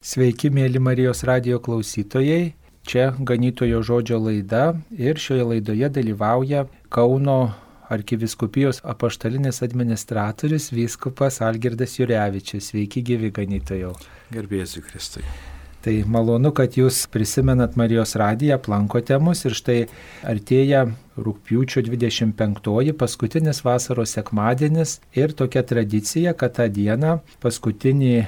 Sveiki, mėly Marijos radijo klausytojai. Čia Ganytojo žodžio laida ir šioje laidoje dalyvauja Kauno arkivyskupijos apaštalinis administratorius vyskupas Algirdas Jurevičius. Sveiki, gyvi Ganytojau. Garbėsiu Kristui. Tai malonu, kad jūs prisimenat Marijos radiją, aplankote mus ir štai artėja rugpjūčio 25, paskutinis vasaros sekmadienis ir tokia tradicija, kad tą dieną paskutinį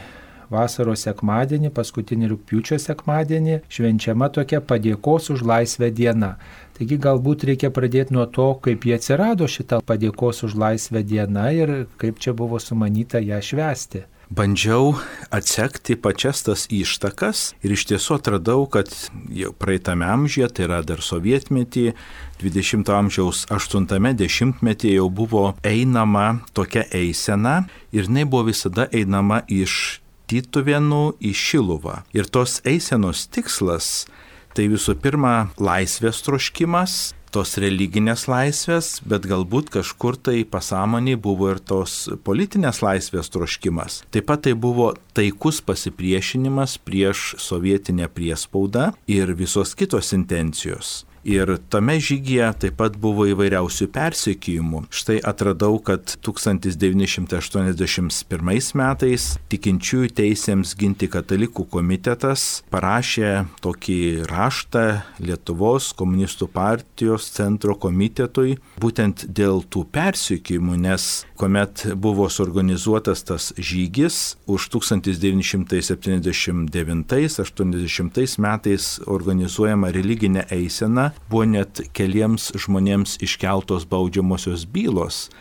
vasaros sekmadienį, paskutinį rugpjūčio sekmadienį švenčiama tokia padėkos už laisvę diena. Taigi galbūt reikia pradėti nuo to, kaip jie atsirado šitą padėkos už laisvę diena ir kaip čia buvo sumanyta ją švęsti. Bandžiau atsekti pačias tas ištakas ir iš tiesų atradau, kad jau praeitame amžiuje, tai yra dar sovietmetį, 20 amžiaus 80-metyje jau buvo einama tokia eisena ir jinai buvo visada einama iš Tytuvėnų į Šiluvą. Ir tos eisenos tikslas tai visų pirma laisvės troškimas, tos religinės laisvės, bet galbūt kažkur tai pasąmonėj buvo ir tos politinės laisvės troškimas. Taip pat tai buvo taikus pasipriešinimas prieš sovietinę priespaudą ir visos kitos intencijos. Ir tame žygyje taip pat buvo įvairiausių persekiojimų. Štai atradau, kad 1981 metais tikinčiųjų teisėms ginti katalikų komitetas parašė tokį raštą Lietuvos komunistų partijos centro komitetui būtent dėl tų persekiojimų, nes kuomet buvo suorganizuotas tas žygis už 1979-80 metais organizuojama religinė eisena, buvo net keliems žmonėms iškeltos baudžiamosios bylos.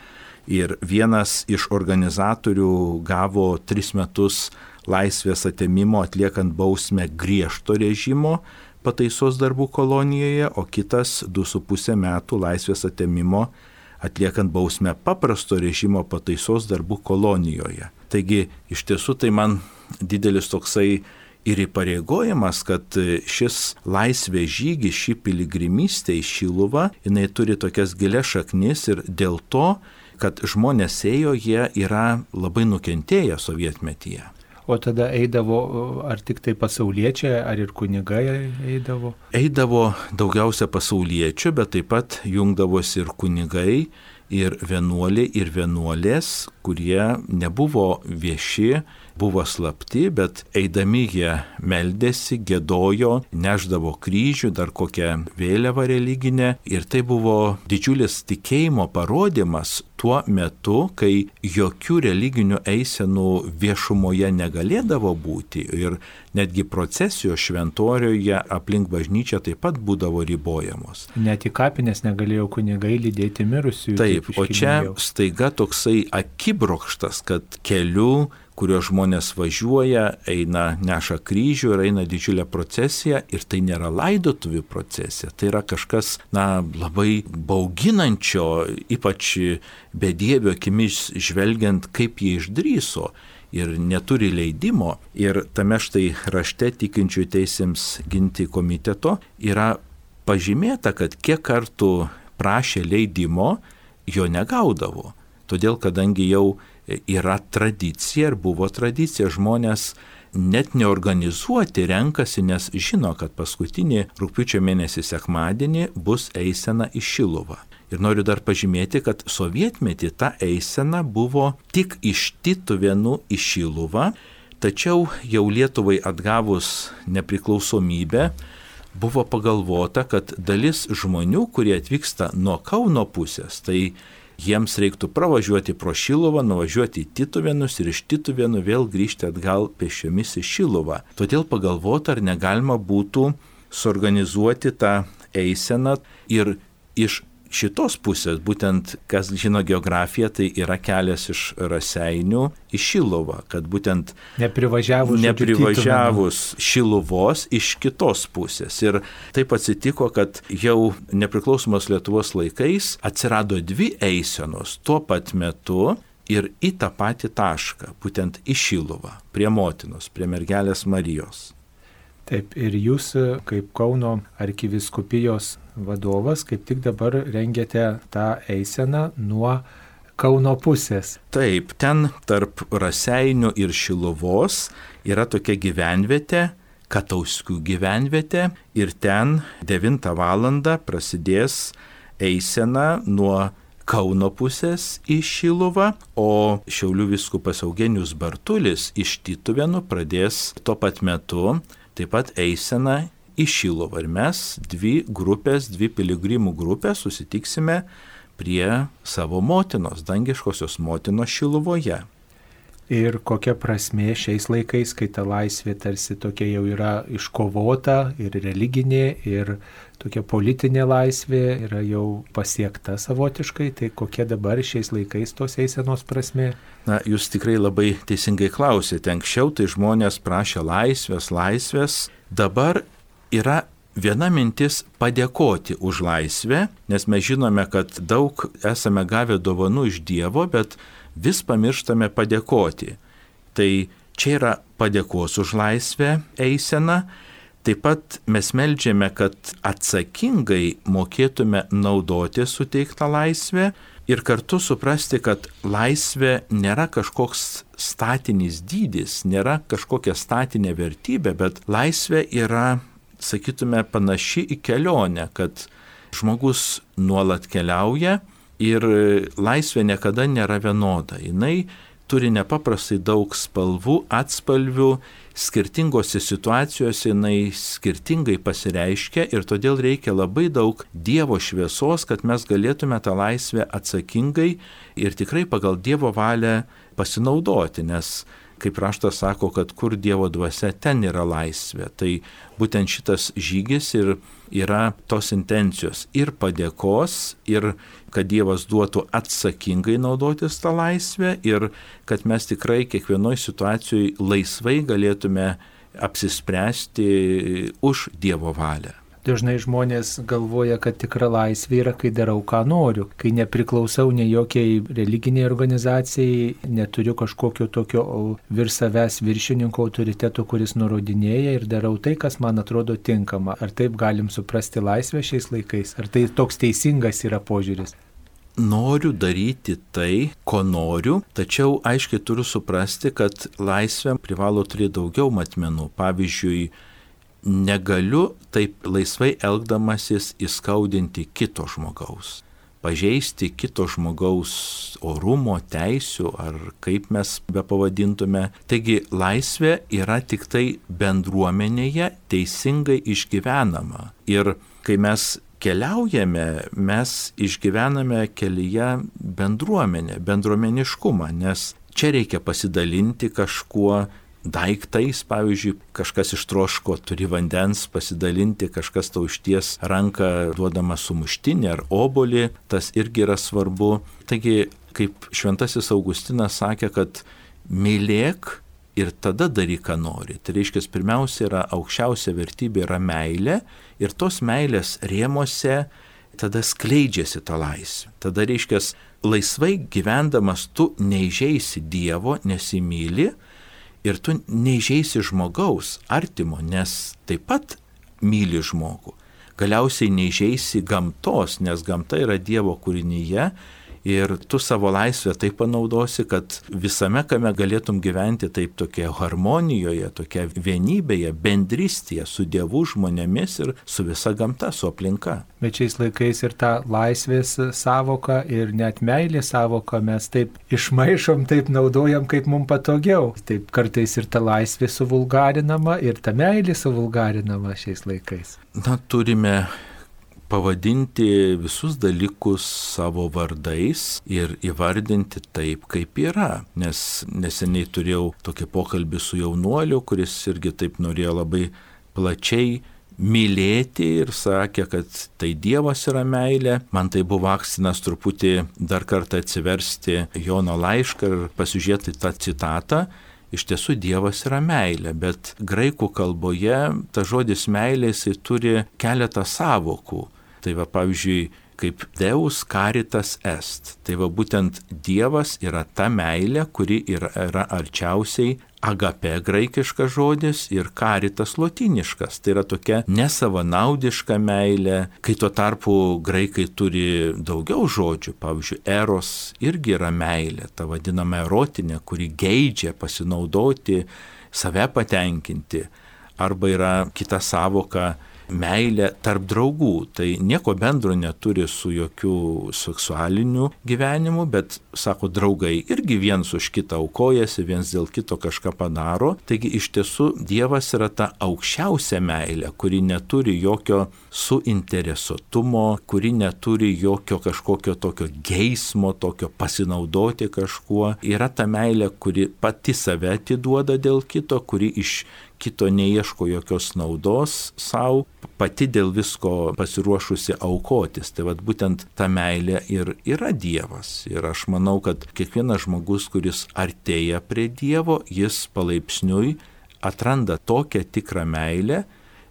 Ir vienas iš organizatorių gavo 3 metus laisvės atėmimo atliekant bausmę griežto režimo pataisos darbų kolonijoje, o kitas 2,5 metų laisvės atėmimo atliekant bausmę paprasto režimo pataisos darbų kolonijoje. Taigi iš tiesų tai man didelis toksai ir įpareigojimas, kad šis laisvės žygis, ši piligrimystė į Šiluvą, jinai turi tokias gilias šaknis ir dėl to, kad žmonės ėjo, jie yra labai nukentėję sovietmetyje. O tada eidavo ar tik tai pasauliečiai, ar ir kunigai eidavo? Eidavo daugiausia pasauliečių, bet taip pat jungdavosi ir kunigai, ir vienuoliai, ir vienuolės, kurie nebuvo vieši, buvo slapti, bet eidami jie meldėsi, giedojo, neždavo kryžių, dar kokią vėliavą religinę. Ir tai buvo didžiulis tikėjimo parodymas tuo metu, kai jokių religinių eisenų viešumoje negalėdavo būti. Ir netgi procesijos šventoriuje aplink bažnyčią taip pat būdavo ribojamos. Net į kapines negalėjo kunigai lydėti mirusiųjų. Taip, o čia staiga toksai akibrokštas, kad keliu, kurio žmonės važiuoja, eina, neša kryžių ir eina didžiulė procesija ir tai nėra laidotuvių procesija, tai yra kažkas, labai bauginančio, ypač bedievio akimis žvelgiant, kaip jie išdrįso ir neturi leidimo. Ir tame štai rašte tikinčiųjų teisėms ginti komiteto yra pažymėta, kad kiek kartų prašė leidimo, jo negaudavo. Todėl, kadangi jau yra tradicija ir buvo tradicija, žmonės net neorganizuoti renkasi, nes žino, kad paskutinį rugpjūčio mėnesį sekmadienį bus eisena į Šiluvą. Ir noriu dar pažymėti, kad sovietmetį ta eisena buvo tik iš Tytuvėnų į Šiluvą, tačiau jau Lietuvai atgavus nepriklausomybę buvo pagalvota, kad dalis žmonių, kurie atvyksta nuo Kauno pusės, tai jiems reiktų pravažiuoti pro Šiluvą, nuvažiuoti į Tytuvėnus ir iš Tytuvėnų vėl grįžti atgal pėsčiomis į Šiluvą. Todėl pagalvota, ar negalima būtų suorganizuoti tą eiseną ir iš šitos pusės, būtent kas žino geografiją, tai yra kelias iš Raseinių į Šiluvą, kad būtent neprivažiavus Šiluvos iš kitos pusės. Ir taip atsitiko, kad jau nepriklausomos Lietuvos laikais atsirado 2 eisenos tuo pat metu ir į tą patį tašką, būtent į Šiluvą, prie motinos, prie mergelės Marijos. Taip, ir jūs kaip Kauno arkivyskupijos vadovas kaip tik dabar rengiate tą eiseną nuo Kauno pusės. Taip, ten tarp Raseinių ir Šiluvos yra tokia gyvenvietė, Katauskių gyvenvietė, ir ten 9 valandą prasidės eisena nuo Kauno pusės į Šiluvą, o Šiaulių vyskupas Eugenijus Bartulis iš Tytuvėnų pradės tuo pat metu taip pat eiseną į Šiluvą. Ir mes 2 piligrimų grupės susitiksime prie savo motinos, dangiškosios motinos Šiluvoje. Ir kokia prasmė šiais laikais, kai ta laisvė tarsi tokia jau yra iškovota ir religinė, ir tokia politinė laisvė yra jau pasiekta savotiškai, tai kokia dabar šiais laikais tos eisenos prasmė? Na, jūs tikrai labai teisingai klausėte. Anksčiau tai žmonės prašė laisvės. Dabar yra viena mintis padėkoti už laisvę, nes mes žinome, kad daug esame gavę dovanų iš Dievo, bet vis pamirštame padėkoti. Tai čia yra padėkos už laisvę eisena. Taip pat mes meldžiame, kad atsakingai mokėtume naudoti suteiktą laisvę ir kartu suprasti, kad laisvė nėra kažkoks statinis dydis, nėra kažkokia statinė vertybė, bet laisvė yra, sakytume, panaši į kelionę, kad žmogus nuolat keliauja ir laisvė niekada nėra vienoda. Jinai turi nepaprastai daug spalvų, atspalvių, skirtingose situacijose jinai skirtingai pasireiškia ir todėl reikia labai daug Dievo šviesos, kad mes galėtume tą laisvę atsakingai ir tikrai pagal Dievo valią pasinaudoti, nes kaip raštas sako, kad kur Dievo dvasia, ten yra laisvė. Tai būtent šitas žygis ir yra tos intencijos ir padėkos, ir kad Dievas duotų atsakingai naudotis tą laisvę ir kad mes tikrai kiekvienoje situacijoje laisvai galėtume apsispręsti už Dievo valią. Dažnai žmonės galvoja, kad tikra laisvė yra, kai darau, ką noriu, kai nepriklausau nei jokiai religiniai organizacijai, neturiu kažkokio tokio virš savęs viršininko autoriteto, kuris nurodinėja ir darau tai, kas man atrodo tinkama. Ar taip galim suprasti laisvę šiais laikais? Ar tai toks teisingas yra požiūris? Noriu daryti tai, ko noriu, tačiau aiškiai turiu suprasti, kad laisvė privalo turėti daugiau matmenų. Pavyzdžiui, negaliu taip laisvai elgdamasis įskaudinti kito žmogaus, pažeisti kito žmogaus orumo, teisių ar kaip mes bepavadintume. Taigi laisvė yra tik tai bendruomenėje teisingai išgyvenama. Ir kai mes keliaujame, mes išgyvename kelyje bendruomeniškumą, nes čia reikia pasidalinti kažkuo, daiktais, pavyzdžiui, kažkas ištroško, turi vandens, pasidalinti, kažkas tau išties ranką duodama sumuštinį ar obolį, tas irgi yra svarbu. Taigi, kaip šventasis Augustinas sakė, kad mylėk ir tada daryk, ką nori. Tai reiškia, pirmiausia yra aukščiausia vertybė yra meilė ir tos meilės rėmose tada skleidžiasi ta laisvė. Tada reiškia, laisvai gyvendamas tu neįžeisi Dievo, nesimyli, ir tu neįžeisi žmogaus, artimo, nes taip pat myli žmogų. Galiausiai neįžeisi gamtos, nes gamta yra Dievo kūrinyje ir tu savo laisvę taip panaudosi, kad visame kame galėtum gyventi taip tokia harmonijoje, tokia vienybėje, bendrystėje su Dievu, žmonėmis ir su visa gamta, su aplinka. Bet šiais laikais ir tą laisvės savoką ir net meilės savoką mes taip išmaišom, taip naudojam, kaip mums patogiau. Taip kartais ir ta laisvė suvulgarinama ir ta meilė suvulgarinama šiais laikais. Na, turime pavadinti visus dalykus savo vardais ir įvardinti taip, kaip yra. Nes neseniai turėjau tokį pokalbį su jaunuoliu, kuris irgi taip norėjo labai plačiai mylėti ir sakė, kad tai Dievas yra meilė. Man tai buvo akstinas truputį dar kartą atsiversti Jono laišką ir pasižiūrėti tą citatą. Iš tiesų Dievas yra meilė, bet graikų kalboje ta žodis meilė jisai turi keletą sąvokų. Tai va, pavyzdžiui, kaip Deus caritas est. Tai va būtent Dievas yra ta meilė, kuri yra arčiausiai agape graikiškas žodis ir caritas lotyniškas. Tai yra tokia nesavanaudiška meilė, kai tuo tarpu graikai turi daugiau žodžių. Pavyzdžiui, eros irgi yra meilė, ta vadinama erotinė, kuri geidžia pasinaudoti, save patenkinti. Arba yra kita savoka meilė tarp draugų. Tai nieko bendro neturi su jokių seksualiniu gyvenimu, bet, sako, draugai irgi viens už kitą aukojasi, viens dėl kito kažką padaro. Taigi iš tiesų Dievas yra ta aukščiausia meilė, kuri neturi jokio suinteresuotumo, kuri neturi jokio kažkokio tokio geismo, tokio pasinaudoti kažkuo. Yra ta meilė, kuri pati save atiduoda dėl kito, kuri iš kito neieško jokios naudos savo, pati dėl visko pasiruošusi aukotis. Tai vat būtent ta meilė ir yra Dievas. Ir aš manau, kad kiekvienas žmogus, kuris artėja prie Dievo, jis palaipsniui atranda tokią tikrą meilę,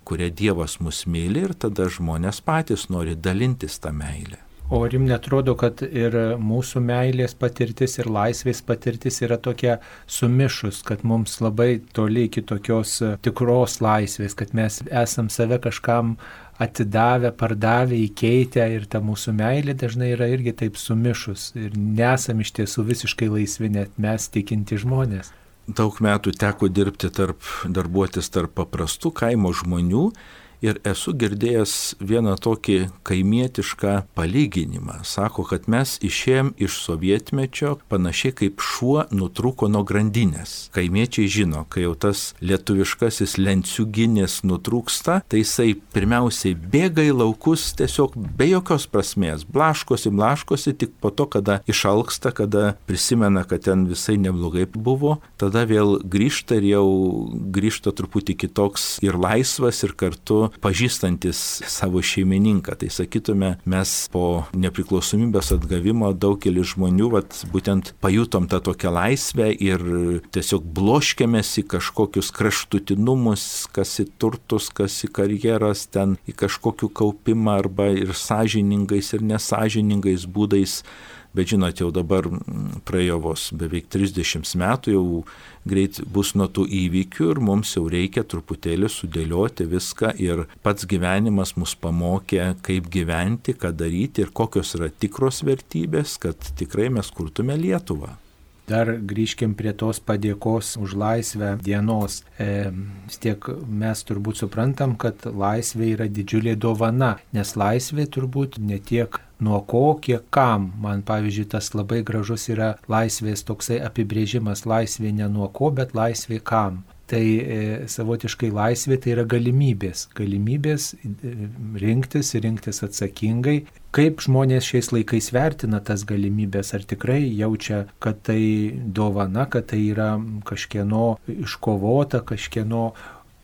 kurią Dievas mus myli, ir tada žmonės patys nori dalintis tą meilę. O ar jums netrodo, kad ir mūsų meilės patirtis ir laisvės patirtis yra tokia sumišus, kad mums labai toli iki tokios tikros laisvės, kad mes esam save kažkam atidavę, pardavę, įkeitę, ir ta mūsų meilė dažnai yra irgi taip sumišus ir nesam iš tiesų visiškai laisvi, net mes tikinti žmonės. Daug metų teko darbuotis tarp paprastų kaimo žmonių. Ir esu girdėjęs vieną tokį kaimietišką palyginimą. Sako, kad mes išėjom iš sovietmečio panašiai kaip šuo nutrūko nuo grandinės. Kaimiečiai žino, kai jau tas lietuviškasis lenciūginis nutrūksta, tai jisai pirmiausiai bėga į laukus tiesiog be jokios prasmės. Blaškosi, tik po to, kada išalksta, kada prisimena, kad ten visai neblogai buvo, tada vėl grįžta ir jau grįžta truputį kitoks ir laisvas, ir kartu pažįstantis savo šeimininką. Tai sakytume, mes po nepriklausomybės atgavimo daugelis žmonių būtent pajutom tą tokią laisvę ir tiesiog bloškėmės į kažkokius kraštutinumus, kas į turtus, kas į karjeras, ten į kažkokių kaupimą arba ir sąžiningais ir nesąžiningais būdais. Bet žinot, jau dabar praėjo vos beveik 30 metų, jau greit bus nuo tų įvykių ir mums jau reikia truputėlį sudėlioti viską, ir pats gyvenimas mus pamokė, kaip gyventi, ką daryti ir kokios yra tikros vertybės, kad tikrai mes kurtume Lietuvą. Dar grįžkim prie tos padėkos už laisvę dienos. Vis tiek mes turbūt suprantam, kad laisvė yra didžiulė dovana, nes laisvė turbūt ne tiek nuo ko, kiek kam. Man, pavyzdžiui, tas labai gražus yra laisvės toksai apibrėžimas: laisvė ne nuo ko, bet laisvė kam. Tai savotiškai laisvė tai yra galimybės rinktis atsakingai. Kaip žmonės šiais laikais vertina tas galimybės? Ar tikrai jaučia, kad tai dovana, kad tai yra kažkieno iškovota, kažkieno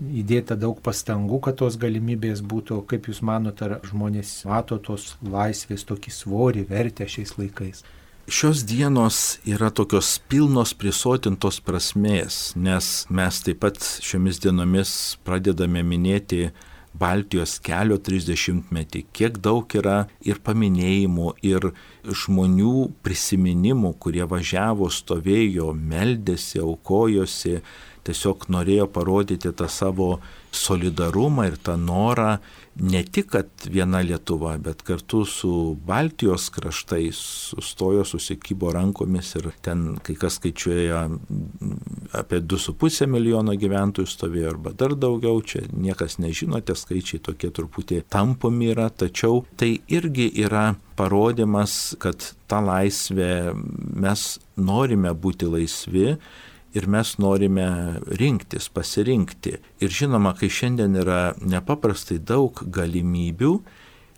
įdėta daug pastangų, kad tos galimybės būtų? Kaip Jūs manote, ar žmonės mato tos laisvės tokį svorį, vertę šiais laikais? Šios dienos yra tokios pilnos prisotintos prasmės, nes mes taip pat šiomis dienomis pradedame minėti Baltijos kelio 30-metį. Kiek daug yra ir paminėjimų, ir žmonių prisiminimų, kurie važiavo, stovėjo, meldėsi, aukojosi, tiesiog norėjo parodyti tą savo solidarumą ir tą norą ne tik, kad viena Lietuva, bet kartu su Baltijos kraštais sustojo, susikybo rankomis, ir ten kai kas skaičiuoja apie 2,5 milijono gyventojų stovėjo arba dar daugiau, čia niekas nežino, tie skaičiai tokie truputį tampomi yra, tačiau tai irgi yra parodymas, kad tą laisvę mes norime būti laisvi, ir mes norime rinktis, pasirinkti. Ir žinoma, kai šiandien yra nepaprastai daug galimybių,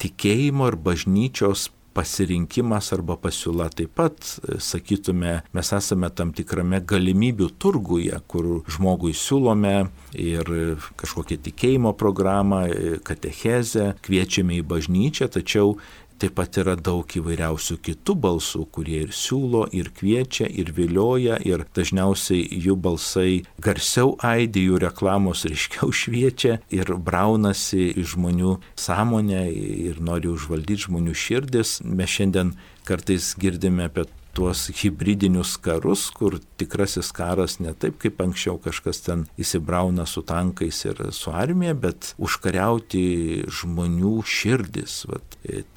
tikėjimo ir bažnyčios pasirinkimas arba pasiūla taip pat, sakytume, mes esame tam tikrame galimybių turguje, kur žmogui siūlome ir kažkokią tikėjimo programą, katechezę, kviečiame į bažnyčią, tačiau taip pat yra daug įvairiausių kitų balsų, kurie ir siūlo, ir kviečia, ir vilioja, ir dažniausiai jų balsai garsiau aidi, jų reklamos ryškiau šviečia ir braunasi į žmonių sąmonę ir nori užvaldyti žmonių širdis. Mes šiandien kartais girdime apie tuos hibridinius karus, kur tikrasis karas ne taip kaip anksčiau kažkas ten įsibrauna su tankais ir su armija, bet užkariauti žmonių širdis.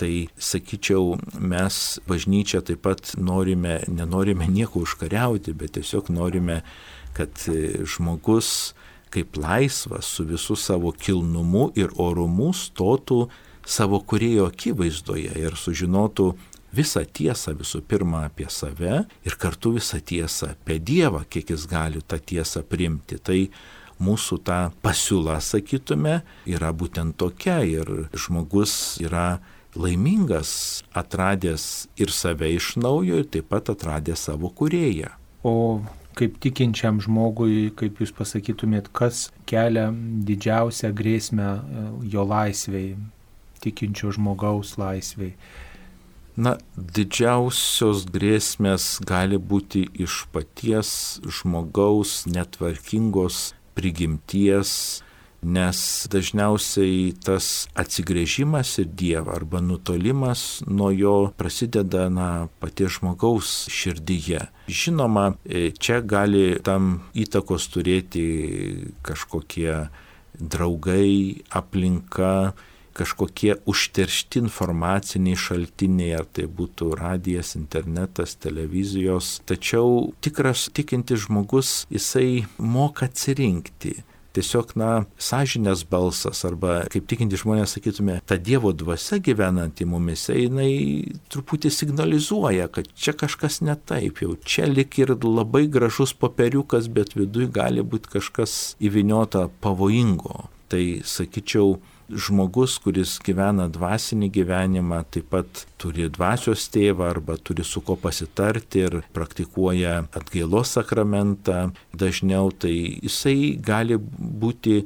Tai sakyčiau, mes bažnyčia taip pat nenorime nieko užkariauti, bet tiesiog norime, kad žmogus kaip laisvas su visų savo kilnumu ir orumu stotų savo kūrėjo akivaizdoje ir sužinotų visą tiesą visų pirma apie save ir kartu visą tiesą apie Dievą, kiek jis gali tą tiesą priimti. Tai mūsų ta pasiūla, sakytume, yra būtent tokia ir žmogus yra laimingas, atradęs ir save iš naujo ir taip pat atradęs savo kūrėją. O kaip tikinčiam žmogui, kaip jūs pasakytumėt, kas kelia didžiausią grėsmę jo laisvei, tikinčio žmogaus laisvei? Didžiausios grėsmės gali būti iš paties žmogaus netvarkingos prigimties, nes dažniausiai tas atsigręžimas į Dievą arba nutolimas nuo jo prasideda paties žmogaus širdyje. Žinoma, čia gali tam įtakos turėti kažkokie draugai, aplinka, kažkokie užteršti informaciniai šaltiniai, ar tai būtų radijas, internetas, televizijos. Tačiau tikras tikintis žmogus, jisai moka atsirinkti. Tiesiog, sąžinės balsas, arba kaip tikinti žmonės sakytume, ta Dievo dvasia gyvenanti mumise, jinai truputį signalizuoja, kad čia kažkas ne taip, jau čia lik ir labai gražus popieriukas, bet viduj gali būti kažkas įvyniota pavojingo. Tai sakyčiau, žmogus, kuris gyvena dvasinį gyvenimą, taip pat turi dvasios tėvą arba turi su ko pasitarti ir praktikuoja atgailos sakramentą dažniau, tai jisai gali būti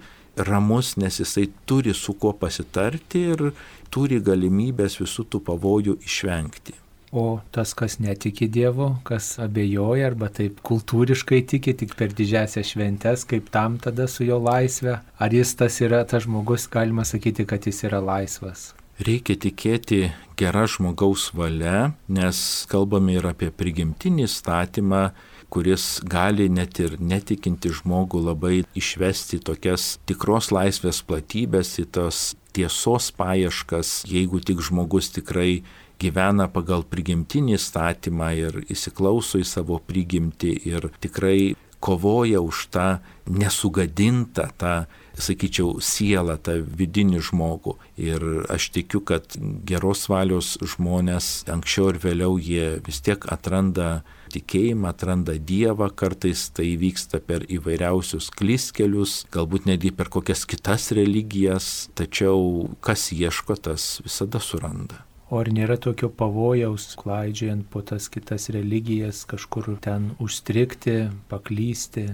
ramus, nes jisai turi su ko pasitarti ir turi galimybės visų tų pavojų išvengti. O tas, kas netiki Dievu, kas abejoja arba taip kultūriškai tiki tik per didžiąsias šventes, kaip tam tada su jo laisve? Ar jis tas žmogus, galima sakyti, kad jis yra laisvas? Reikia tikėti gera žmogaus valia, nes kalbame ir apie prigimtinį įstatymą, kuris gali net ir netikinti žmogų labai išvesti tokias tikros laisvės platybės, į tos tiesos paieškas, jeigu tik žmogus tikrai gyvena pagal prigimtinį įstatymą ir įsiklauso į savo prigimtį ir tikrai kovoja už tą nesugadintą, tą, sakyčiau, sielą, tą vidinį žmogų. Ir aš tikiu, kad geros valios žmonės anksčiau ir vėliau jie vis tiek atranda tikėjimą, atranda Dievą, kartais tai vyksta per įvairiausius klystkelius, galbūt netgi per kokias kitas religijas, tačiau kas ieško, tas visada suranda. O ar nėra tokio pavojaus, klaidžiojant po tas kitas religijas, kažkur ten užstrigti, paklysti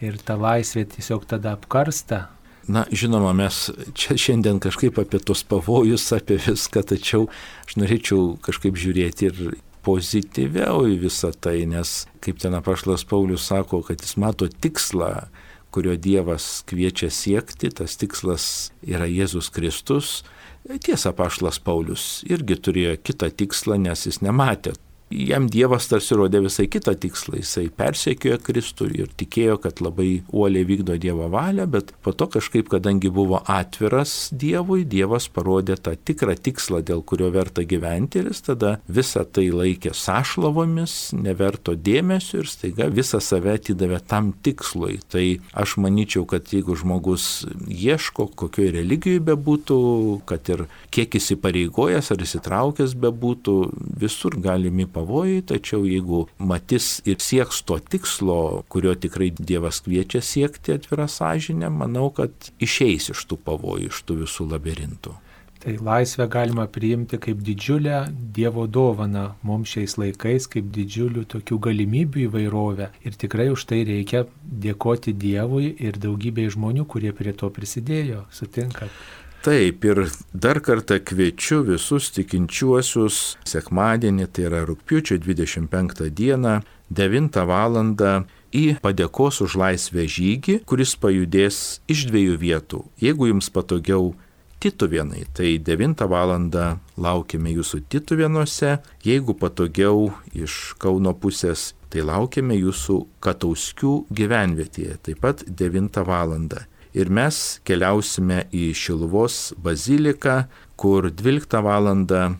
ir ta laisvė tiesiog tada apkarsta? Žinoma, mes čia šiandien kažkaip apie tos pavojus, apie viską, tačiau aš norėčiau kažkaip žiūrėti ir pozityviau į visą tai, nes kaip ten apaštalas Paulius sako, kad jis mato tikslą, kurio Dievas kviečia siekti, tas tikslas yra Jėzus Kristus. Tiesa, apaštalas Paulius irgi turėjo kitą tikslą, nes jis nematė. Jam Dievas tarsi rodė visai kitą tikslą, jisai persekiojo Kristų ir tikėjo, kad labai uoliai vykdo Dievo valią, bet po to kažkaip, kadangi buvo atviras Dievui, Dievas parodė tą tikrą tikslą, dėl kurio verta gyventi ir jis tada visą tai laikė sąšlavomis, neverto dėmesio ir staiga visą save atidavė tam tikslui. Tai aš manyčiau, kad jeigu žmogus ieško, kokioje religijoje bebūtų, kad ir kiek įsipareigojęs ar įsitraukęs bebūtų, visur galimi pavojai, tačiau jeigu matys ir sieks to tikslo, kurio tikrai Dievas kviečia siekti atvira sąžinė, manau, kad išeis iš tų pavojų, iš tų visų labirintų. Tai laisvę galima priimti kaip didžiulę Dievo dovaną mums šiais laikais, kaip didžiulių tokių galimybių įvairovę. Ir tikrai už tai reikia dėkoti Dievui ir daugybei žmonių, kurie prie to prisidėjo. Sutinkat? Taip, ir dar kartą kviečiu visus tikinčiuosius sekmadienį, tai yra rugpjūčio 25 dieną, 9 val. Į padėkos už laisvę žygį, kuris pajudės iš 2 vietų. Jeigu jums patogiau Tituvėnai, tai 9 val. Laukiame jūsų Tituvėnuose, jeigu patogiau iš Kauno pusės, tai laukiame jūsų Katauskių gyvenvietėje, taip pat 9 val. Ir mes keliausime į Šiluvos baziliką, kur 12 val.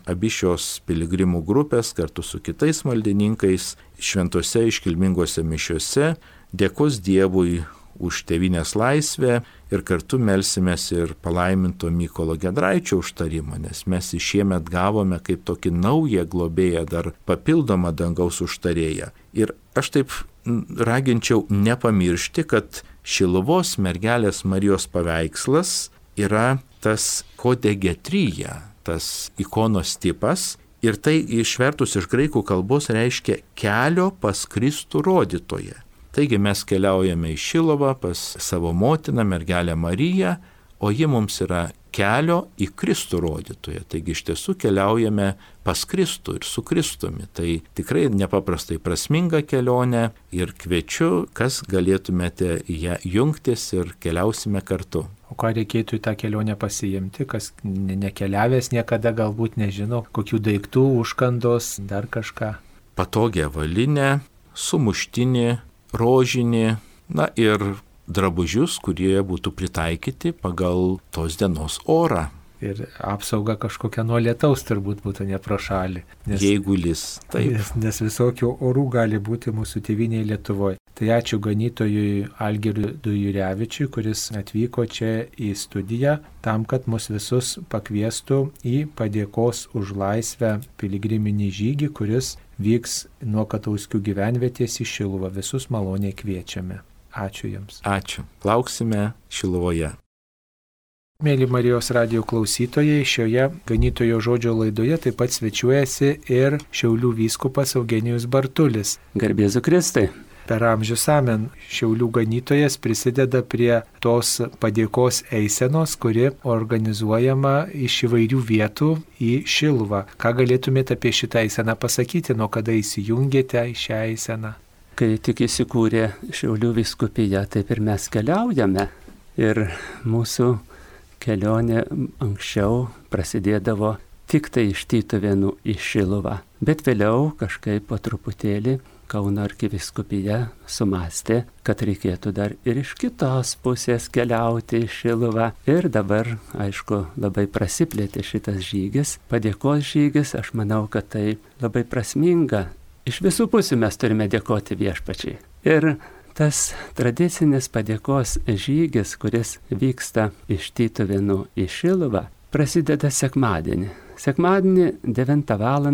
Abi šios piligrimų grupės kartu su kitais maldininkais šventose iškilmingose mišiose dėkos Dievui už tėvynės laisvę ir kartu melsimės ir palaiminto Mykolo Giedraičio užtarimą, nes mes šiemet gavome kaip tokį naują globėją, dar papildomą dangaus užtarėją. Ir aš taip raginčiau nepamiršti, kad Šiluvos mergelės Marijos paveikslas yra tas kodegetrija, tas ikonos tipas, ir tai išvertus iš graikų kalbos reiškia kelio pas Kristų rodytoją. Taigi mes keliaujame į Šiluvą pas savo motiną, mergelę Mariją, o ji mums yra kelio į Kristų rodytoją. Taigi iš tiesų keliaujame pas Kristų ir su Kristumi. Tai tikrai nepaprastai prasminga kelionė ir kviečiu, kas galėtumėte į ją jungtis ir keliausime kartu. O ką reikėtų į tą kelionę pasiimti, kas nekeliavęs niekada galbūt nežino, kokių daiktų, užkandos, dar kažką? Patogią avalynę, sumuštinį, rožinį, na ir drabužius, kurie būtų pritaikyti pagal tos dienos orą. Ir apsauga kažkokia nuo lietaus turbūt būtų ne pro šalį. Jeigu lis, taip. Nes visokių orų gali būti mūsų tėvynėje Lietuvoje. Tai ačiū ganytojui Algirdui Jurevičiui, kuris atvyko čia į studiją tam, kad mus visus pakviestų į padėkos už laisvę piligriminį žygį, kuris vyks nuo Katauskių gyvenvietės į Šiluvą. Visus maloniai kviečiame. Ačiū Jums. Ačiū. Lauksime Šiluvoje. Mėly Marijos radijo klausytojai, šioje ganytojo žodžio laidoje taip pat svečiuojasi ir Šiaulių vyskupas Eugenijus Bartulis. Garbė Jėzui Kristui. Per amžius amen Šiaulių ganytojas prisideda prie tos padėkos eisenos, kuri organizuojama iš įvairių vietų į Šiluvą. Ką galėtumėte apie šitą eiseną pasakyti, nuo kada įsijungėte į šią eiseną? Kai tik įsikūrė Šiaulių vyskupija, taip ir mes keliaujame. Ir mūsų kelionė anksčiau prasidėdavo tik tai iš Tytuvėnų į Šiluvą. Bet vėliau kažkaip po truputėlį Kauno arkivyskupija sumastė, kad reikėtų dar ir iš kitos pusės keliauti į Šiluvą. Ir dabar, aišku, labai prasiplėtė šitas žygis, padėkos žygis. Aš manau, kad tai labai prasminga. Iš visų pusių mes turime dėkoti Viešpačiai. Ir tas tradicinis padėkos žygis, kuris vyksta iš Tytuvėnų į Šiluvą, prasideda sekmadienį. Sekmadienį 9 val.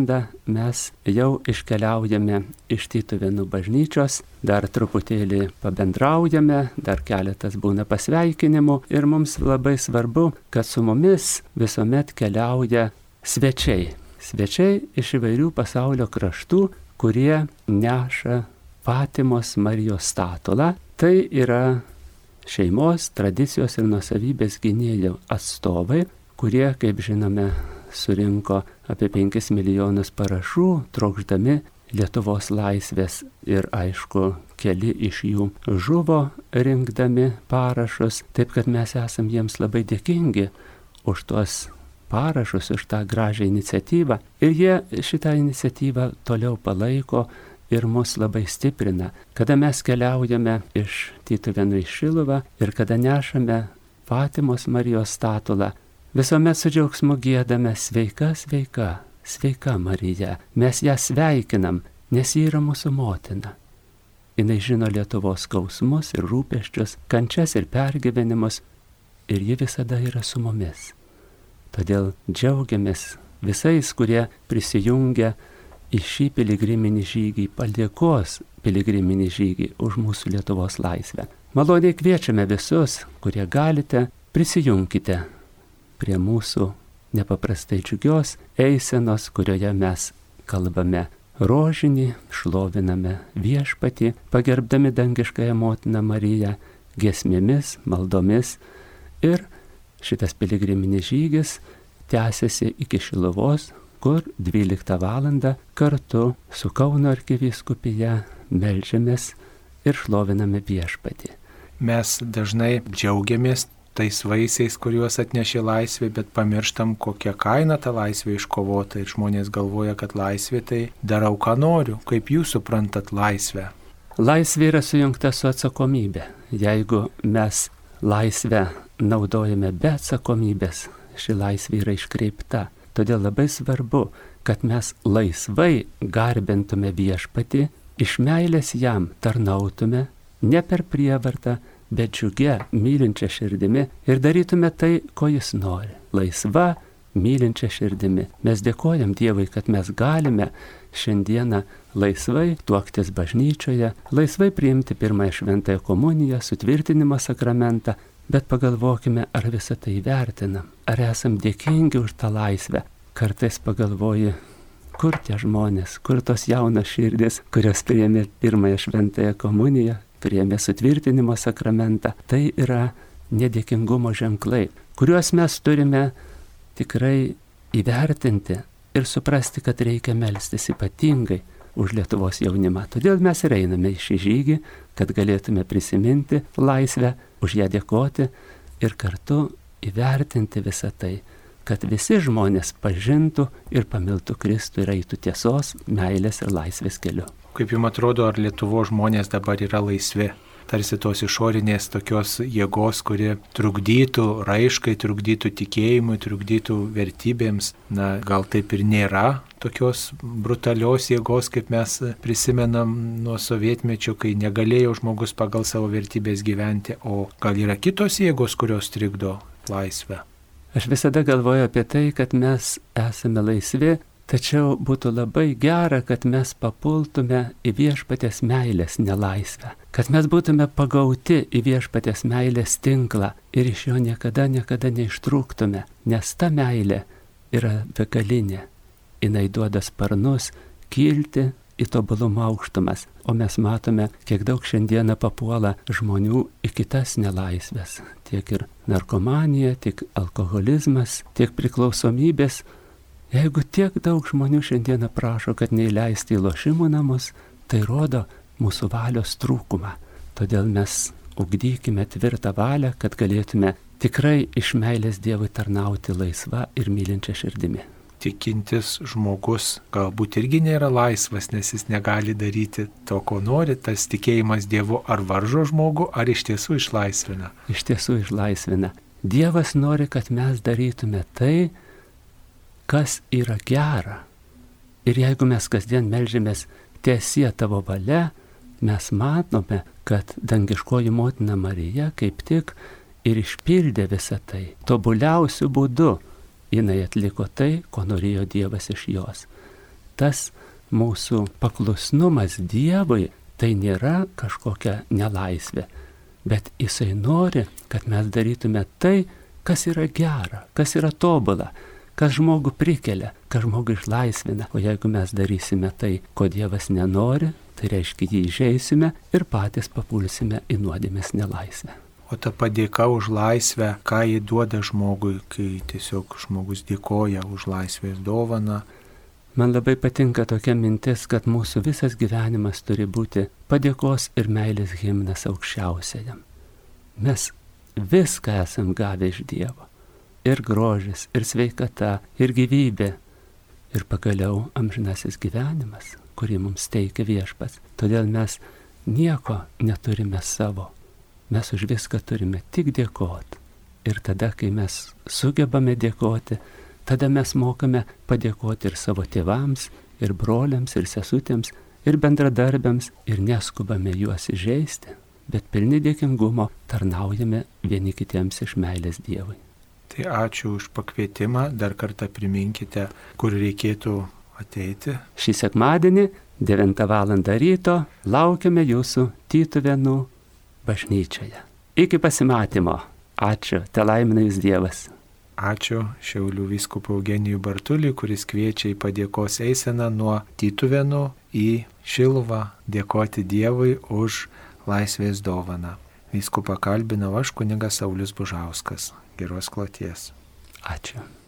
Mes jau iškeliaujame iš Tytuvėnų bažnyčios, dar truputėlį pabendraujame, dar keletas būna pasveikinimų ir mums labai svarbu, kad su mumis visuomet keliauja svečiai. Svečiai iš įvairių pasaulio kraštų, kurie neša Fatimos Marijos statulą. Tai yra šeimos, tradicijos ir nuosavybės gynėjų atstovai, kurie, kaip žinome, surinko apie 5 milijonus parašų, trokšdami Lietuvos laisvės. Ir aišku, keli iš jų žuvo rinkdami parašus, taip kad mes esam jiems labai dėkingi už tuos parašus, už tą gražią iniciatyvą. Ir jie šitą iniciatyvą toliau palaiko ir mus labai stiprina. Kada mes keliaujame iš Tytuvėnų į Šiluvą ir kada nešame Fatimos Marijos statulą, visuomet su džiaugsmu giedame sveika, sveika, sveika Marija. Mes ją sveikinam, nes ji yra mūsų motina. Jis žino Lietuvos skausmus ir rūpesčius, kančias ir pergyvenimus, ir ji visada yra su mumis. Todėl džiaugiamės visais, kurie prisijungia į šį piligriminį žygį, padėkos piligriminį žygį už mūsų Lietuvos laisvę. Maloniai kviečiame visus, kurie galite, prisijunkite prie mūsų nepaprastai džiugios eisenos, kurioje mes kalbame rožinį, šloviname Viešpatį, pagerbdami dangiškąją motiną Mariją, giesmėmis, maldomis ir šitas piligriminis žygis tęsiasi iki Šiluvos, kur 12 val. Kartu su Kauno arkivyskupija meldžiamės ir šloviname Viešpatį. Mes dažnai džiaugiamės tais vaisiais, kuriuos atnešė laisvė, bet pamirštam, kokią kainą ta laisvė iškovota ir žmonės galvoja, kad laisvė tai darau, ką noriu. Kaip jūs suprantat laisvę? Laisvė yra sujungta su atsakomybė. Jeigu mes laisvę naudojame be atsakomybės, ši laisvė yra iškreipta. Todėl labai svarbu, kad mes laisvai garbintume Viešpatį, iš meilės jam tarnautume, ne per prievartą, bet džiugia, mylinčia širdimi ir darytume tai, ko jis nori. Laisva, mylinčia širdimi. Mes dėkojam Dievui, kad mes galime šiandieną laisvai tuoktis bažnyčioje, laisvai priimti pirmąją šventąją komuniją, sutvirtinimo sakramentą, bet pagalvokime, ar visą tai vertinam, ar esam dėkingi už tą laisvę. Kartais pagalvoji, kur tie žmonės, kur tos jaunos širdis, kurios priėmė pirmąją šventąją komuniją, priėmė sutvirtinimo sakramentą. Tai yra nedėkingumo ženklai, kuriuos mes turime tikrai įvertinti ir suprasti, kad reikia melstis ypatingai už Lietuvos jaunimą. Todėl mes ir einame į šį žygį, kad galėtume prisiminti laisvę, už ją dėkoti ir kartu įvertinti visą tai, kad visi žmonės pažintų ir pamiltų Kristų ir eitų tiesos, meilės ir laisvės keliu. Kaip jums atrodo, ar Lietuvos žmonės dabar yra laisvi? Tarsi tos išorinės tokios jėgos, kuri trukdytų raiškai, trukdytų tikėjimui, trukdytų vertybėms. Na, gal taip ir nėra tokios brutalios jėgos, kaip mes prisimenam nuo sovietmečio, kai negalėjo žmogus pagal savo vertybės gyventi, o gal yra kitos jėgos, kurios trikdo laisvę? Aš visada galvoju apie tai, kad mes esame laisvi, tačiau būtų labai gera, kad mes papultume į Viešpaties meilės nelaisvę, kad mes būtume pagauti į Viešpaties meilės tinklą ir iš jo niekada neištrūktume, nes ta meilė yra begalinė. Jis duoda sparnus kilti į tobulumo aukštumas, o mes matome, kiek daug šiandieną papuola žmonių į kitas nelaisvės, tiek ir narkomanija, tiek alkoholizmas, tiek priklausomybės. Jeigu tiek daug žmonių šiandieną prašo, kad neįleisti į lošimų namus, tai rodo mūsų valios trūkumą. Todėl mes ugdykime tvirtą valią, kad galėtume tikrai iš meilės Dievui tarnauti laisva ir mylinčia širdimi. Tikintis žmogus galbūt irgi nėra laisvas, nes jis negali daryti to, ko nori. Tas tikėjimas Dievu ar varžo žmogų, ar iš tiesų išlaisvina? Iš tiesų išlaisvina. Dievas nori, kad mes darytume tai, kas yra gera. Ir jeigu mes kasdien melžiamės tiesie tavo valia, mes matome, kad dangiškoji motina Marija kaip tik ir išpildė visą tai. Tobuliausiu būdu jinai atliko tai, ko norėjo Dievas iš jos. Tas mūsų paklusnumas Dievui tai nėra kažkokia nelaisvė, bet jisai nori, kad mes darytume tai, kas yra gera, kas yra tobula, kas žmogų prikelia, kas žmogų išlaisvina. O jeigu mes darysime tai, ko Dievas nenori, tai reiškia jį įžeisime ir patys papulsime į nuodėmės nelaisvę. O ta padėka už laisvę, ką jį duoda žmogui, kai tiesiog žmogus dėkoja už laisvės dovaną? Man labai patinka tokia mintis, kad mūsų visas gyvenimas turi būti padėkos ir meilės himnas aukščiausiajam. Mes viską esam gavę iš Dievo. Ir grožis, ir sveikata, ir gyvybė, ir pagaliau amžinasis gyvenimas, kurį mums teikia Viešpats. Todėl mes nieko neturime savo. Mes už viską turime tik dėkoti. Ir tada, kai mes sugebame dėkoti, tada mes mokame padėkoti ir savo tėvams, ir broliams, ir sesutėms, ir bendradarbiams, ir neskubame juos įžeisti, bet pilni dėkingumo tarnaujame vieni kitiems iš meilės Dievui. Tai ačiū už pakvietimą, dar kartą priminkite, kur reikėtų ateiti. Šį sekmadienį 9 val. Ryto laukiame jūsų Tytuvėnų bažnyčioje. Iki pasimatymo. Ačiū. Telaimina jūs Dievas. Ačiū Šiaulių vyskupui Eugenijui Bartuliui, kuris kviečia į padėkos eiseną nuo Tytuvėnų į Šiluvą dėkoti Dievui už laisvės dovaną. Vyskupą kalbinau aš, kunigas Saulius Bužauskas. Geros kloties. Ačiū.